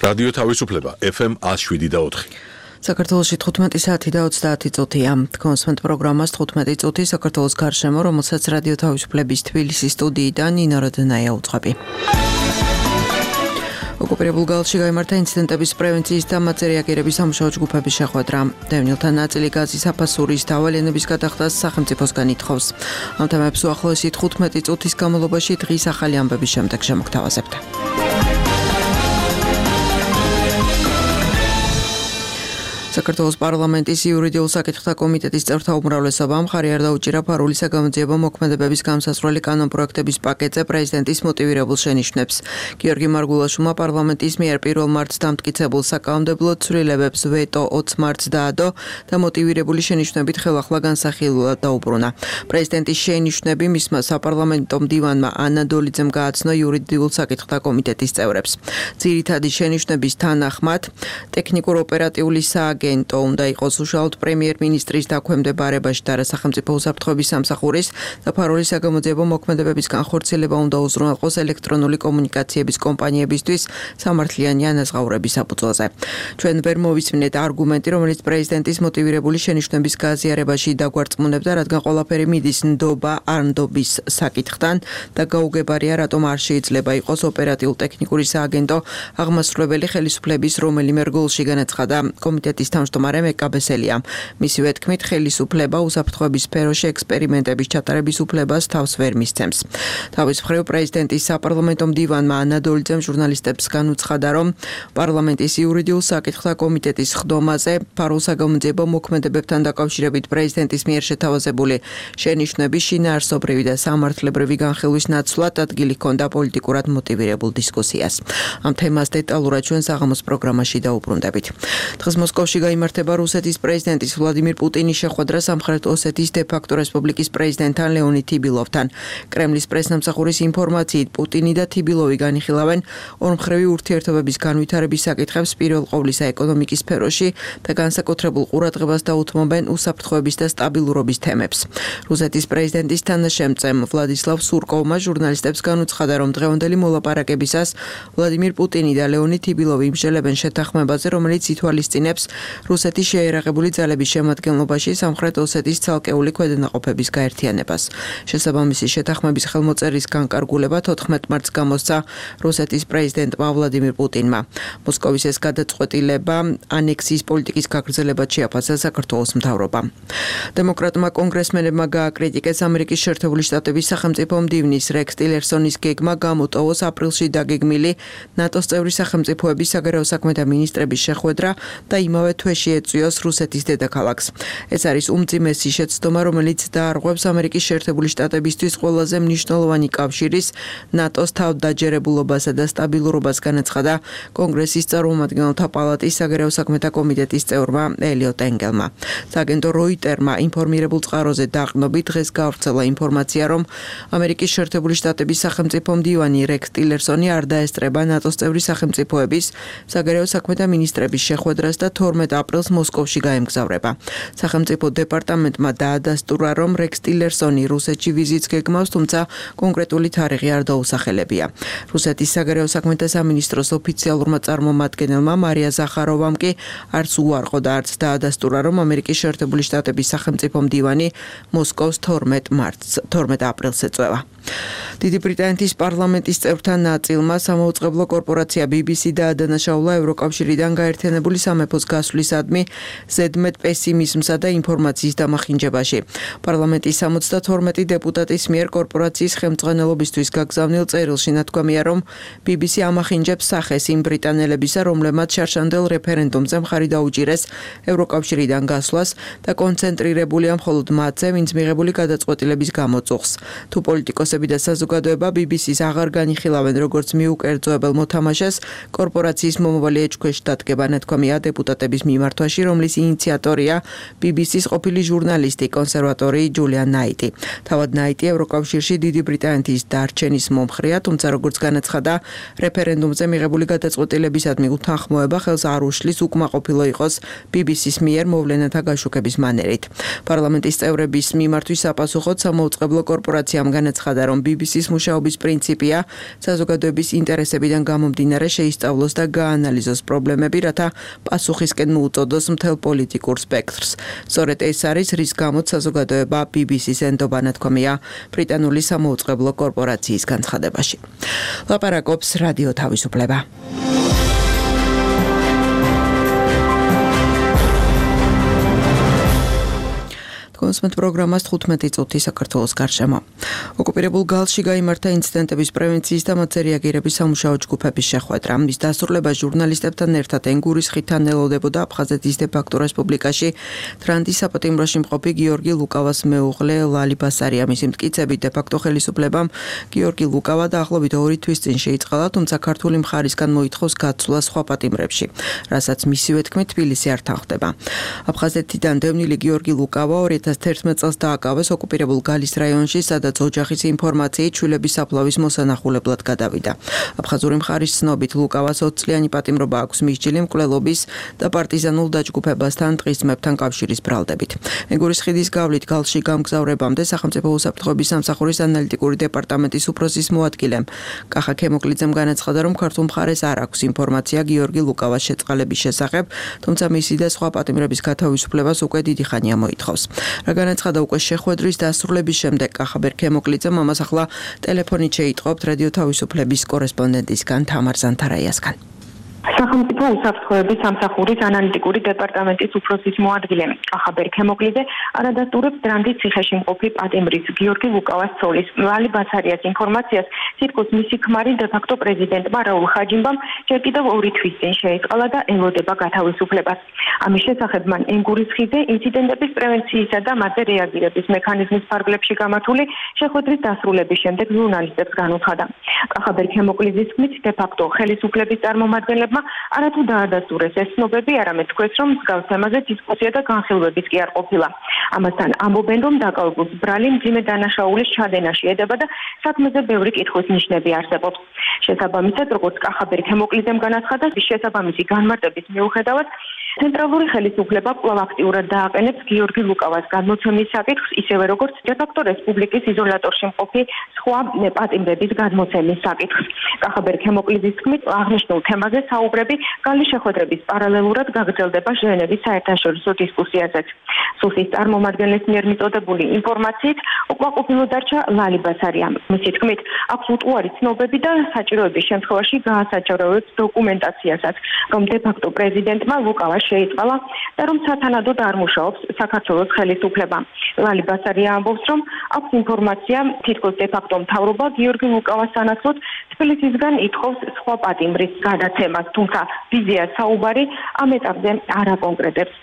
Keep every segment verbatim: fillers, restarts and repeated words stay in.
რადიო თავისუფლება ეფ ემ one oh seven და four. საქართველოში თხუთმეტი საათი და ოცდაათი წუთია. Თქვენს პროგრამას თხუთმეტი წუთი საქართველოს გარშემო, რომელსაც რადიო თავისუფლების თბილისის სტუდიიდან ნინო როდნაია უძღვები. ოკუპირებულ გალში გაიმართა ინციდენტების პრევენციის და მათზე რეაგირების სამუშაო ჯგუფების შეხვედრა. დევნილთა ნაწილი გაზის აფასურის დავალენების გადახდას სახელმწიფოსგან ითხოვს. ამ თემებს უახლოესი თხუთმეტი წუთის განმავლობაში დღის ახალი ამბების შემდეგ შემოგთავაზებთ. საქართველოს პარლამენტის იურიდიულ საკითხთა კომიტეტის წევრთა უმრავლესობამ მხარი არ დაუჭირა ფარული საგამოძიებო მოქმედებების გამსასროლი კანონპროექტების პაკეტზე პრეზიდენტის მოტივირებულ შენიშვნებს. გიორგი მარგულაშვილმა პარლამენტის მიერ პირველ მარტს დამტკიცებულ საკანონმდებლო ცვლილებებს ვეტო ოცი მარტს დაადო და მოტივირებული შენიშვნებით ხელახლა განსახილულად დაუბრუნა. პრეზიდენტის შენიშვნები მისმა საპარლამენტო მდივანმა ანა დოლიძემ გააცნო იურიდიულ საკითხთა კომიტეტის წევრებს. ძირითადი შენიშვნების თანახმად ტექნიკურ ოპერატიული სააგენტო გენტო უნდა იყოს უშუალოდ პრემიერ-მინისტრის დაქვემდებარებაში და სახელმწიფო უსაფრთხოების სამსახურის და ფარული საგამოძიებო მოქმედებების განხორციელება უნდა უზრუნველყოს ელექტრონული კომუნიკაციების კომპანიებისთვის სამართლიანი ანაზღაურების საფუძველზე. ჩვენ ვერ მოვისმინეთ არგუმენტი, რომელიც პრეზიდენტის მოტივირებული შენიშვნების გაზიარებაში დაგვარწმუნებდა, რადგან ყველაფერი მიდის ნდობა არ ნდობის საკითხთან და გაუგებარია, რატომ არ შეიძლება იყოს ოპერატიულ-ტექნიკური სააგენტო აღმასრულებელი ხელისუფლების რომელიმე რგოლში, განაცხადა კომიტეტის თავმჯდომარე მეკაბესელია. მისივე თქმით, ხელისუფლება უსაფრთხოების სფეროში ექსპერიმენტების ჩატარების უფლებას თავს ვერ მისცემს. თავის მხრივ პრეზიდენტის საპარლამენტო მდივანმა ანა დოლიძემ ჟურნალისტებს განუცხადა, რომ პარლამენტის იურიდიულ საკითხთა კომიტეტის ხდომაზე ფარულ საგამოძიებო მოქმედებებთან დაკავშირებით პრეზიდენტის მიერ შეთავაზებული შენიშვნები შინაარსობრივი და სამართლებრივი განხილვის ნაცვლად ადგილი ჰქონდა პოლიტიკურად მოტივირებულ დისკუსიას. ამ თემას დეტალურად ჩვენ საღამოს პროგრამაში დაუბრუნდებით. დღეს მოსკოვში გაიმართება რუსეთის პრეზიდენტის ვლადიმირ პუტინის შეხვედრა სამხრეთ ოსეთის დე-ფაქტო რესპუბლიკის პრეზიდენტთან ლეონიდ თიბილოვთან. კრემლის პრესნამსახურის ინფორმაციით, პუტინი და თიბილოვი განიხილავენ ორმხრივი ურთიერთობების განვითარების საკითხებს პირველ ყოვლისა ეკონომიკის სფეროში და განსაკუთრებულ ყურადღებას დაუთმობენ უსაფრთხოების და სტაბილურობის თემებს. რუსეთის პრეზიდენტის თანაშემწემ ვლადისლავ სურკოვმა ჟურნალისტებს განუცხადა, რომ დღევანდელი მოლაპარაკებისას ვლადიმირ პუტინი და ლეონიდ თიბილოვი იმსჯელებენ შეთანხმებაზე, რომელიც ითვალისწინებს რუსეთის შეიარაღებული ძალების შემადგენლობაში სამხრეთ ოსეთის ცალკეული ქვედანაყოფების გაერთიანებას. შესაბამისი შეთანხმების ხელმოწერის განკარგულება თოთხმეტ მარტს გამოსცა რუსეთის პრეზიდენტმა ვლადიმირ პუტინმა. მოსკოვის ეს გადაწყვეტილება ანექსიის პოლიტიკის გაგრძელებად შეაფასა საქართველოს მთავრობამ. დემოკრატმა კონგრესმენებმა გააკრიტიკეს ამერიკის შეერთებული შტატების სახელმწიფო მდივნის რექს ტილერსონის გეგმა გამოტოვოს აპრილში დაგეგმილი ნატოს წევრი სახელმწიფოების საგარეო საქმეთა მინისტრების შეხვედრა და იმავე თვეში ეწვიოს რუსეთის დედაქალაქს. ეს არის უმძიმესი შეცდომა, რომელიც დაარღვევს ამერიკის შეერთებული შტატებისთვის ყველაზე მნიშვნელოვანი კავშირის ნატოს თავდაჯერებულობასა და სტაბილურობას, განაცხადა კონგრესის წარმომადგენელთა პალატის საგარეო საქმეთა კომიტეტის წევრმა ელიოტ ენგელმა. სააგენტო როიტერმა ინფორმირებულ წყაროზე დაყრდნობით დღეს გავრცელა ინფორმაცია, რომ ამერიკის შეერთებული შტატების სახელმწიფო მდივანი რექს ტილერსონი არ დაესწრება ნატოს წევრი სახელმწიფოების საგარეო საქმეთა მინისტრების შეხვედრას და თორმეტ აპრილს მოსკოვში გაემგზავრება. სახელმწიფო დეპარტამენტმა დაადასტურა, რომ რექს ტილერსონი რუსეთში ვიზიტს გეგმავს, თუმცა კონკრეტული თარიღი არ დაუსახელებია. რუსეთის საგარეო საქმეთა სამინისტროს ოფიციალურმა წარმომადგენელმა მარია ზახაროვამ კი არც უარყო და არც დაადასტურა, რომ ამერიკის შეერთებული შტატების სახელმწიფო მდივანი მოსკოვს თორმეტ მარტს თორმეტ აპრილს ეწვევა. დიდი ბრიტანეთის პარლამენტის წევრთა ნაწილმა სამაუწყებლო კორპორაცია ბი ბი სი დაადანაშაულა ევროკავშირიდან გაერთიანებული სამეფოს გასვლისადმი ზედმეტ პესიმიზმსა და ინფორმაციის დამახინჯებაში. პარლამენტის სამოცდათორმეტი დეპუტატის მიერ კორპორაციის ხელმძღვანელობისთვის გაგზავნილ წერილში ნათქვამია, რომ ბი ბი სი ამახინჯებს სახეს იმ ბრიტანელებისა, რომლებმაც შარშანდელ რეფერენდუმზე მხარი დაუჭირეს ევროკავშირიდან გასვლას და კონცენტრირებულია მხოლოდ მათზე, ვინც მიღებული გადაწყვეტილების გამოწუხს. თუ პოლიტიკოსები და საზოგადოება ბი ბი სის აღარ განიხილავენ როგორც მიუკერძოებელ მოთამაშეს, კორპორაციის მომავალი ეჭქვეშ დადგება, ნათქვამია დეპუტატების მიმართვაში, რომლის ინიციატორია ბი ბი სის ყოფილი ჟურნალისტი, კონსერვატორი ჯულიან ნაიტი. თავად ნაიტი ევროკავშირში დიდი ბრიტანეთის დარჩენის მომხრეა, თუმცა როგორც განაცხადა, რეფერენდუმზე მიღებული გადაწყვეტილებისადმი უთანხმოება ხელს არ უშლის უკმაყოფილო იყოს ბი ბი სის მიერ მოვლენათა გაშუქების მანერით. პარლამენტის წევრების მიმართვის საპასუხოდ სამაუწყებლო კორპორაციამ განაცხადა, რომ ბი ბი უფროსის მუშაობის პრინციპია, საზოგადოების ინტერესებიდან გამომდინარე შეისწავლოს და გაანალიზოს პრობლემები, რათა პასუხისკენ მოუწოდოს მთელ პოლიტიკურ სპექტრს. სწორედ ეს არის, რის გამოც საზოგადოება ბი ბი სის ენდობა ნათქვამია ბრიტანული სამოუწყებლო კორპორაციის განცხადებაში. ლაპარაკობს რადიო თავისუფლება. კონსმეთ პროგრამას თხუთმეტი წუთი საქართველოს გარშემო. ოკუპირებულ გალში გაიმართა ინციდენტების პრევენციის და მათზე რეაგირების სამუშაო ჯგუფების შეხვედრა. მის დასრულება ჟურნალისტებთან ერთად ენგურის ხიდთან ელოდებოდა აფხაზეთის დე-ფაქტო რესპუბლიკაში თრანდის საპატიმროში მყოფი გიორგი ლუკავას მეუღლე ლალი ბასარია. მისი მტკიცებით დე-ფაქტო ხელისუფლებამ გიორგი ლუკავა დაახლოებით ორი თვის წინ შეიწყალა, თუმცა ქართული მხარისგან მოითხოვს გაცვლა სხვა პატიმრებში, რასაც მისივე თქმით თბილისი არ თანხდება. აფხაზეთიდან დევნილი გიორგი ლუკავა ორი ათას თერთმეტ წელს დააკავეს ოკუპირებულ გალის რაიონში, სადაც ოჯახის ინფორმაციით შვილების საფლავის მოსანახულებლად გადავიდა. აფხაზური მხარის ცნობით ლუკავას ოც წლიანი პატიმრობა აქვს მისჯილი მკვლელობის და პარტიზანულ დაჯგუფებასთან ტყისმებთან კავშირის ბრალდებით. ენგურის ხიდის გავლით გალში გამგზავრებამდე სახელმწიფო უსაფრთხოების სამსახურის ანალიტიკური დეპარტამენტის უფროსის მოადგილემ კახა ქემოკლიძემ განაცხადა, რომ ქართულ მხარეს არ აქვს ინფორმაცია გიორგი ლუკავას შეწყალების შესახებ, თუმცა მისი და სხვა პატიმრების გათავისუფლებას უკვე დიდი ხანია მოითხოვს. რა განაცხადა უკვე შეხვედრის დასრულების შემდეგ კახაბერ ქემოკლიძემ, ამას ახლა ტელეფონით შეიტყობთ რადიო თავისუფლების კორესპონდენტისგან თამარ ზანთარაიასგან. სახელმწიფო უსაფრთხოების სამსახურის ანალიტიკური დეპარტამენტის უფროსის მოადგილე კახაბერ ქემოკლიძე არადასტურებს დრანდის ციხეში მყოფი პატიმრის გიორგი ლუკავას ცოლის ლალი ბასარიას ინფორმაციას, თითქოს მისი ქმარი დე-ფაქტო პრეზიდენტმა რაულ ხაჯიმბამ ჯერ კიდევ ორი თვის წინ შეიწყალა და ელოდება გათავისუფლებას. ამის შესახებ მან ენგურის ხიდზე ინციდენტების პრევენციისა და მათზე რეაგირების მექანიზმის ფარგლებში გამართული შეხვედრის დასრულების შემდეგ ჟურნალისტებს განუცხადა. კახაბერ ქემოკლიძის თქმით, დე-ფაქტო ხელისუფლების წარმომადგენლებმა არათუ დაადასტურეს ეს ცნობები, არამედ თქვეს, რომ მსგავს თემაზე დისკუსია და განხილვებიც კი არ ყოფილა. ამასთან ამბობენ, რომ დაკავებულს ბრალი მძიმე დანაშაულის ჩადენაში ედება და საქმეზე ბევრი კითხვის ნიშნები არსებობს. შესაბამისად, როგორც კახაბერ ქემოკლიძემ განაცხადა, შესაბამისი განმარტების მიუხედავად ცენტრალური ხელისუფლება კვლავ აქტიურად დააყენებს გიორგი ლუკავას გადმოცემის საკითხს, ისევე როგორც დე-ფაქტო რესპუბლიკის იზოლატორში მყოფი სხვა პატიმრების გადმოცემის საკითხს. კახაბერ ქემოკლიძის თქმით, აღნიშნულ თემაზე საუბრები გალის შეხვედრების პარალელურად გაგრძელდება ჟენევის საერთაშორისო დისკუსიაზეც. სუსის წარმომადგენლის მიერ მიწოდებული ინფორმაციით უკმაყოფილო დარჩა ლალი ბასარია. მისი თქმით, აქვს უტყუარი ცნობები და საჭიროების შემთხვევაში გაასაჯაროებს დოკუმენტაციასაც, რომ დე-ფაქტო პრეზიდენტმა ლუკავა შეიწყალა და რომ სათანადოდ არ მუშაობს საქართველოს ხელისუფლება. ლალი ბასარია ამბობს, რომ აქვს ინფორმაცია, თითქოს დე-ფაქტო მთავრობა გიორგი ლუკავას სანაცვლოდ თბილისისგან ითხოვს სხვა პატიმრის გადაცემას, თუმცა ვიზია საუბარი ამ ეტაპზე არ აკონკრეტებს.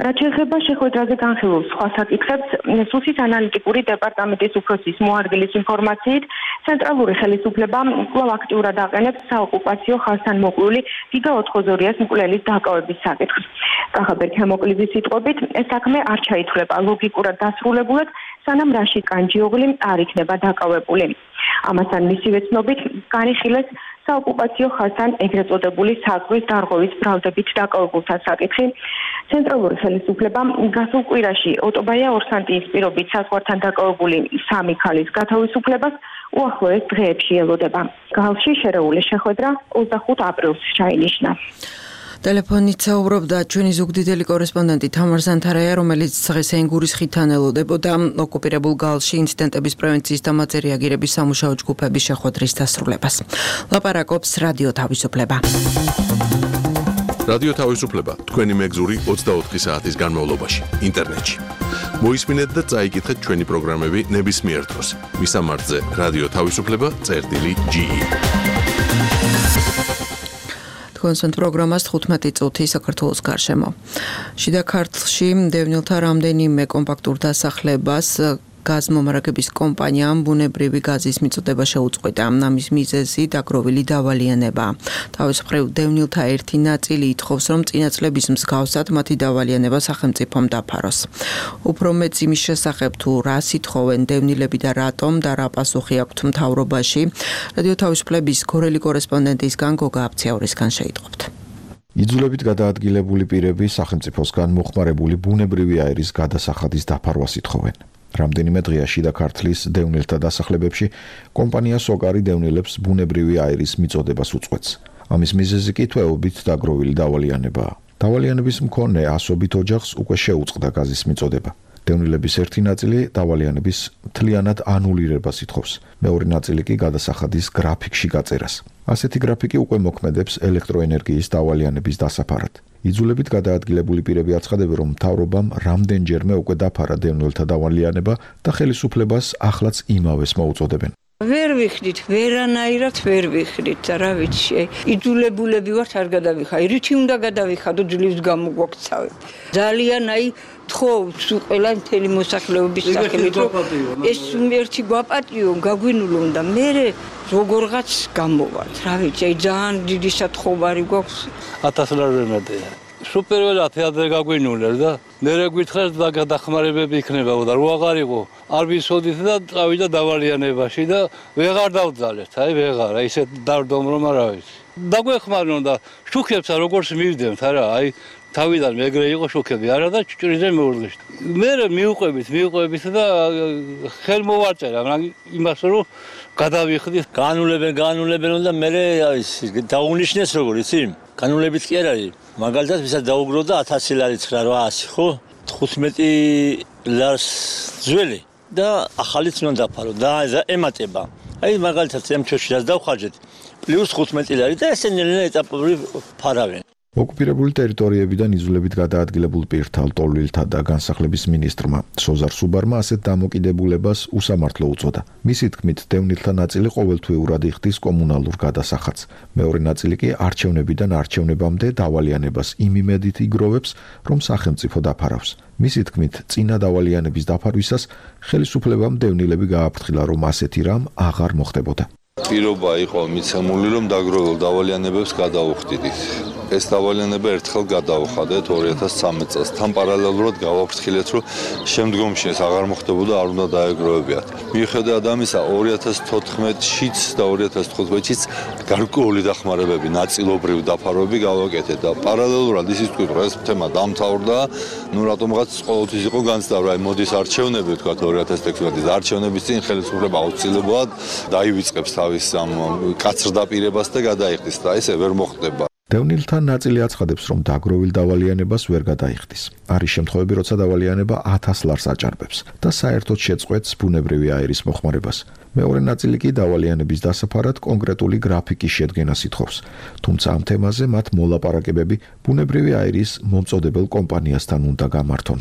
რაც შეეხება შეხვედრაზე განხილულ სხვა საკითხებს, სუსის ანალიტიკური დეპარტამენტის უფროსის მოადგილის ინფორმაციით, ცენტრალური ხელისუფლება კვლავ აქტიურად აყენებს საოკუპაციო ხაზთან მოკლული გიგა ოთხმოცდაორიას მკვლელის დაკავების საკითხს. კახაბერ ქემოკლიძის სიტყვებით, ეს საქმე არ ჩაითვლება ლოგიკურად დასრულებულად, სანამ რაშიდ კანჯიოღლი არ იქნება დაკავებული. ამასთან მისივე ცნობით განიხილეს საოკუპაციო ხაზთან ეგრეთ წოდებული საზღვრის დარღვევის ბრალდებით დაკავებულთა საკითხი. ცენტრალური ხელისუფლება გასულ კვირაში ოტობაია ორსანტიის პირობით საზღვართან დაკავებული სამი ქალის გათავისუფლებას უახლოეს დღეებში ელოდება. გალში შერეული შეხვედრა ოცდახუთ აპრილს ჩაინიშნა. ტელეფონით საუბრობდა ჩვენი ზუგდიდელი კორესპონდენტი თამარ ზანთარაია, რომელიც დღეს ენგურის ხიდთან ელოდებოდა ოკუპირებულ გალში ინციდენტების პრევენციის და მათზე რეაგირების სამუშაო ჯგუფების შეხვედრის დასრულებას. ლაპარაკობს რადიო თავისუფლება. რადიო თავისუფლება თქვენი მეგზური ოცდაოთხი საათის განმავლობაში ინტერნეტში. მოისმინეთ და წაიკითხეთ ჩვენი პროგრამები ნებისმიერ დროს. მისამართზე რადიო თავისუფლება წერტილი ჯი ი. კონსვენთ პროგრამას თხუთმეტი წუთი საქართველოს გარშემო. შიდა ქართლში დევნილთა რამდენიმე კომპაქტურ დასახლებას გაზმომარაგების კომპანიამ ბუნებრივი გაზის მიწოდება შეუწყვეტა. ამის მიზეზი დაგროვილი დავალიანება. თავის მხრივ დევნილთა ერთი ნაწილი ითხოვს, რომ წინა წლების მსგავსად მათი დავალიანება სახელმწიფომ დაფაროს. უფრო მეც იმის შესახებ თუ რას ითხოვენ დევნილები და რატომ და რა პასუხი აქვთ მთავრობაში, რადიო თავისუფლების გორელი კორესპონდენტისგან გოგა აფციაურისგან შეიტყობთ. იძულებით გადაადგილებული პირები სახელმწიფოსგან მოხმარებული ბუნებრივი აირის გადასახადის დაფარვას ითხოვენ. რამდენიმე დღეა შიდა ქართლის დევნილთა დასახლებებში კომპანია სოკარი დევნილებს ბუნებრივი აირის მიწოდებას უწყვეტს. ამის მიზეზი კი თვეობით დაგროვილი დავალიანებაა. დავალიანების მქონე ასობით ოჯახს უკვე შეუწყდა გაზის მიწოდება. დევნილების ერთი ნაწილი დავალიანების მთლიანად ანულირებას ითხოვს. მეორე ნაწილი კი გადასახადის გრაფიკში გაწერას. ასეთი გრაფიკი უკვე მოქმედებს ელექტროენერგიის დავალიანების დასაფარად. იძულებით გადაადგილებული პირები აცხადებენ, რომ მთავრობამ რამდენჯერმე უკვე დაფარა დევნილთა დავალიანება და ხელისუფლებას ახლაც იმავეს მოუწოდებენ. ვერ ვიხდით, ვერანაირად ვერ ვიხდით, რა ვიცი, იძულებულები ვართ არ გადავიხარ. რითი უნდა გადავიხადო ძლივს გამოგვაქცავებ. ძალიან აი თხოვს ყველა მთელი მოსახლეობის სახელით, რომ ეს ერთი გვაპატიო, გაგვინულონ და მე როგორღაც გამოვართ. რა ვიცი, აი ძალიან დიდი სათხოვარი გვაქვს. ათას ლარი ვერ მეტია. სუპერველად თეატრზე გაგვინულեր და მერე გვითხრას და გადახმარებები იქნება და რო აღარ იყო არ ვისოდით და წავიდა დავალიანებაში და ვეღარ დავძალეთ, აი ვეღარ, აი ისეთ დავდომ რომ არა ვიცი. დაგვეხმარნონ და შუქებსა როგორც მივდემთ არა, აი თავიდან მეგრე იყო შუქები არა და ჭჭრიზე მეურღიშ. მე მიუყვებით, მიუყვებით და ხელ მოვაწერა, მაგრამ იმას რომ გადავიხდით, განულებენ, განულებენ და მე ის დაუნიშნეს როგორ იცი? განულებით კი არ არის. მაგალითად, ვისაც დაუგროვდა ათასი ლარი ცხრა რვაასი, ხო? თხუთმეტი ლარს ძველი და ახალიც უნდა დაფარო და ემატება. აი მაგალითად, ამ ჩვენში რაც დავხარჯეთ, პლუს თხუთმეტი ლარი და ესენი ეტაპობრივ ფარავენ. ოკუპირებული ტერიტორიებიდან იძულებით გადაადგილებულ პირთა, ლტოლვილთა და განსახლების მინისტრმა სოზარ სუბარმა ასეთ დამოკიდებულებას უსამართლო უწოდა. მისი თქმით, დევნილთა ნაწილი ყოველთვიურად იხდის კომუნალურ გადასახადს. მეორე ნაწილი კი არჩევნებიდან არჩევნებამდე დავალიანებას იმ იმედით იგროვებს, რომ სახელმწიფო დაფარავს. მისი თქმით, წინა დავალიანების დაფარვისას ხელისუფლებამ დევნილები გააფრთხილა, რომ ასეთი რამ აღარ მოხდებოდა. პირობა იყო მიცემული, რომ დაგროვილ დავალიანებებს გადაუხდიდით. ეს დავალიანება ერთხელ გადაუხადეთ ორი ათას ცხრამეტ წელს. თან პარალელურად გავაფრთხილეთ, რომ შემდგომში ეს აღარ მოხდებოდა, არ უნდა დაეგროვებიათ. მიუხედავად ამისა, ორი ათას თოთხმეტშიც და ორი ათას თხუთმეტშიც გარკვეული დახმარებები, ნაწილობრივ დაფარვები გავაკეთეთ და პარალელურად ისიც თქვით, რომ ეს თემა დამთავრდა, ნუ რატომღაც ყოველთვის იყო განცდა, რომ აი მოდის არჩევნები, თქვა ორი ათას თექვსმეტის არჩევნების წინ ხელისუფლება აუცილებლად დაივიწყებს თავის ამ კაცრდაპირებას და გადაიხდის და ესე ვერ მოხდება. დევნილთა ნაწილი აცხადებს, რომ დაგროვილ დავალიანებას ვერ გადაიხდის. არის შემთხვევები, როცა დავალიანება ათას ლარს აჭარბებს და საერთოდ შეწყვეტს ბუნებრივი აირის მოხმარებას. მეორე ნაწილი კი დავალიანების დასაფარად კონკრეტული გრაფიკის შედგენას ითხოვს. თუმცა ამ თემაზე მათ მოლაპარაკებები ბუნებრივი აირის მომწოდებელ კომპანიასთან უნდა გამართონ.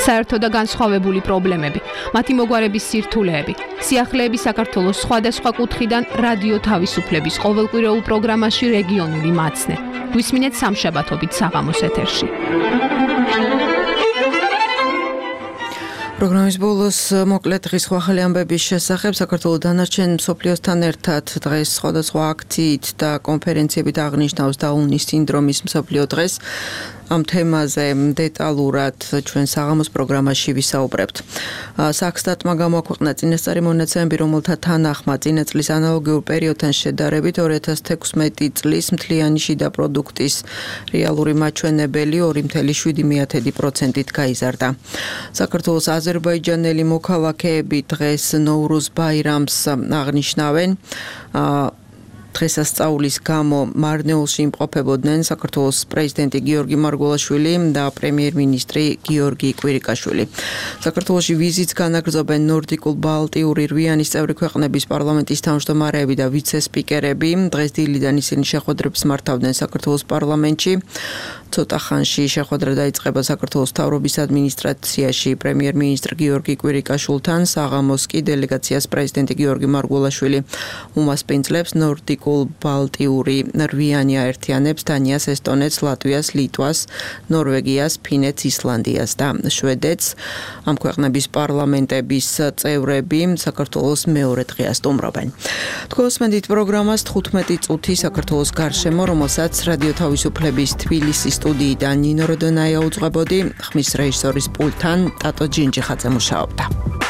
საერთო და განსხვავებული პრობლემები, მათი მოგვარების სირთულეები, სიახლეები საქართველოს სხვადასხვა კუთხიდან რადიო თავისუფლების ყოველკვირეულ პროგრამაში რეგიონული მაცნე. გვისმინეთ სამშაბათობით საღამოს ეთერში. პროგრამის ბოლოს მოკლედ დღის ახალი ამბების შესახებ საქართველოს დანარჩენ მსოფლიოსთან ერთად დღეს სხვადასხვა აქციით და კონფერენციებით აღნიშნავს დაუნის სინდრომის მსოფლიო დღეს. ამ თემაზე დეტალურად ჩვენ საღამოს პროგრამაში ვისაუბრებთ. საქსტატმა გამოაქვეყნა წინასწარი მონაცემები, რომელთა თანახმად წინა წლის ანალოგიურ პერიოდთან შედარებით ორი ათას თექვსმეტი წლის მთლიანი შიდა პროდუქტის რეალური მაჩვენებელი ორი კoma შვიდი პროცენტით გაიზარდა. საქართველოს აზერბაიჯანელი მოქალაქეები დღეს ნოვრუზ ბაირამს აღნიშნავენ. დღესასწაულის გამო მარნეულში იმყოფებოდნენ საქართველოს პრეზიდენტი გიორგი მარგველაშვილი და პრემიერ-მინისტრი გიორგი კვირიკაშვილი. საქართველოში ვიზიტს განაგრძობენ ნორდიკულ-ბალტიური რვიანის წევრი ქვეყნების პარლამენტის თავმჯდომარეები და ვიცე-სპიკერები. დღეს დილიდან ისინი შეხვედრებს მართავდნენ საქართველოს პარლამენტში. ცოტა ხანში შეხვედრა დაიწყება საქართველოს მთავრობის ადმინისტრაციაში პრემიერ-მინისტრ გიორგი კვირიკაშვილთან. საღამოს კი დელეგაციას პრეზიდენტი გიორგი მარგველაშვილი უმასპინძლებს ნორდიკულ-ბალტიური რვიანი აერთიანებს დანიას, ესტონეთს, ლატვიას, ლიტვას, ნორვეგიას, ფინეთს, ისლანდიას და შვედეთს. ამ ქვეყნების პარლამენტების წევრები საქართველოს მეორე დღეას სტუმრობენ. თქვენ უსმენთ პროგრამას თხუთმეტი წუთი საქართველოს გარშემო, რომელსაც რადიო თავისუფლების თბილისის სტუდიიდან ნინო როდონაია უძღვებოდი, ხმის რეჟისორის პულტთან ტატო ჯინჯიხაძე მუშაობდა.